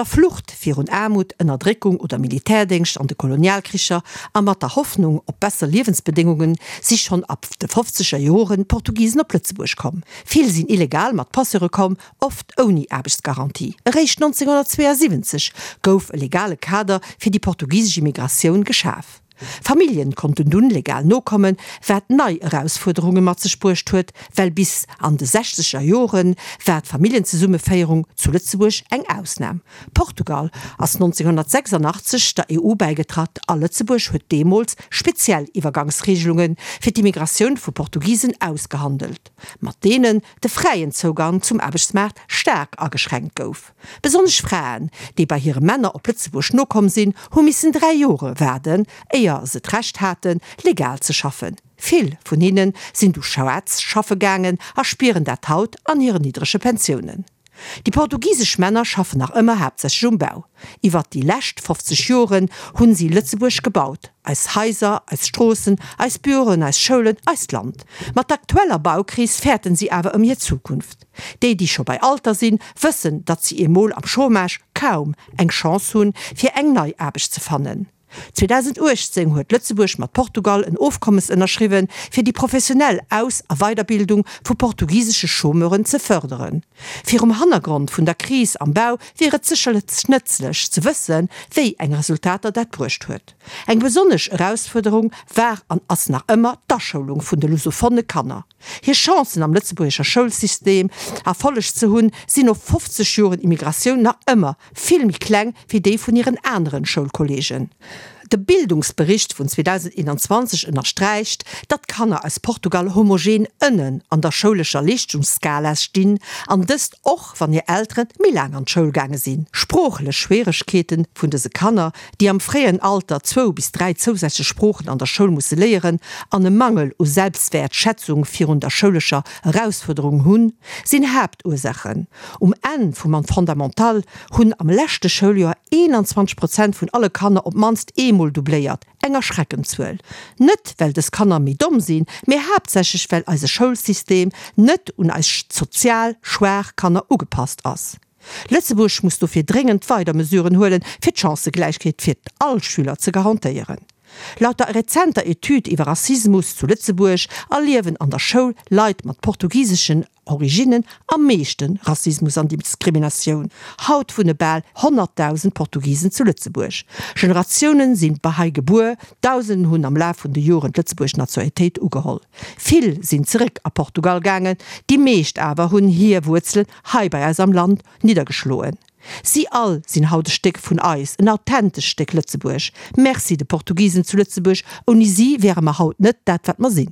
Op der Flucht virun Aarmut, Ënnerdréckung oder Militärdéngscht an de Kolonialkricher a mat der Hoffnung op besser Liewensbedéngungen si schonn ab de fofzeger Joren d'Portugisen op Lëtzebuerg komm. Vill sinn illegal mat Passeure komm, oft ouni Aarbechtsgarantie. Eréischt 1972 gouf e legale Kader fir déi portugisesch Immigratioun geschaf. Familljen konnten dunn legal nokommen, wat nei Erausfuerderunge mat sech bruecht huet, well bis an de sechzeger Jore war d'Familljenzesummeféierung zu Lëtzebuerg eng Ausnam. Portugal ass 1986 der EU bäigetratt a Lëtzebuerg huet deemools speziell Iwwergangsreegelunge fir d'Immigratioun vu Portugisen ausgehandelt, mat deenen de fräien Zougang zum Aarbechtsmaart staark ageschränkt gouf. Besonnesch Fraen, déi bei hire Männer op Lëtzebuerg nokomm sinn, hu missen 3 Jore waarden, éier se d'Recht haten, legal ze schaffen. Vill vun hinne sinn du schwaarz schaffe gaangen a spieren dat haut an hiren niddrege Pensiounen. Déi portugisesch Männer schaffen nach ëmmer haaptsächlech um Bau. Iwwert déi lescht 50 Joren hunn si Lëtzebuerg gebaut, eis Haiser, eis Stroossen, eis Büroen, eis Schoulen, eist Land. Mat der aktueller Baukris fäerten si awer ëm hir Zukunft. Déi, déi scho bei Alter sinn, wëssen, datt si emol am Chômage kaum eng Chance hunn, fir eng nei Aarbecht ze fannen. 2018 huet Lëtzebuerg mat Portugal en Ofkommes ënnerschriwwen, fir déi professionell Aus a Weiderbildung vu portugisesche Chômeuren ze fërderen. Virum Hannergrond vun der Kris am Bau wier et sécherlech nëtzlech ze wëssen, wéi eng Resultater dat bruecht huet. Eng besonnesch Erausfuerderung war an ass nach ëmmer d'Aschoulung vun de lusophone Kanner. Hir Chancen am lëtzebuergescher Schoulsystem Erfolleg ze hunn, sinn no 50 Joren Immigratioun nach ëmmer vill méi kleng wéi déi vun hiren aneren Schoulkolleegen. De Bildungsbericht vun 2021 ënnersträicht, datt d'Kanner aus Portugal homogen ënnen an der schoulescher Leeschtungsskala stinn, an dëst och wann hir Eltere méi laang an d'Schoul gaange sinn. Sproochlech Schwieregkeete vun dëse Kanner, déi am fréien Alter zwou bis 3 zousätzlech Sproochen an der Schoul musse léieren an e Mangel u Selbstwäertschätzung virun der schoulescher Erausfuerderung hunn, sinn Haaptursachen. Um Enn vum Fondamental hunn am leschte Schouljoer 21 Prozent vun alle Kanner op d'mannst eemol doubléiert, eng erschreckend Zuel. Net well dës Kanner méi domm sinn, mee haaptsächlech well eise Schoulsystem net un eis sozial schwaach Kanner ugepasst ass. Lëtzebuerg muss dofir dréngend weider Mesuren huelen, fir d'Chancëgläichheet fir all Schüler ze garantéieren. Laut der rezenter Etüd iwwer Rassismus zu Lëtzebuerg erliewen an der Schoul Leit mat portugiseschen Originnen am meeschte Rassismus an Diskriminatioun. Haut wunne bal 100.000 Portugisen zu Lëtzebuerg. Generatiounen sinn hei gebuer, Dausenden hunn am Laf vun de Joren d'Lëtzebuerg Nationalitéit ugeholl. Vill sinn zeréck a Portugal gaangen, déi meescht awer hunn hir Wuerzelen hei bei eis am Land niddergeschloen. Si all sinn haut e Stéck vun eis, en authentescht Stéck Lëtzebuerg. Merci de Portugisen zu Lëtzebuerg, ouni si wäre mer haut net dat wat mer sinn.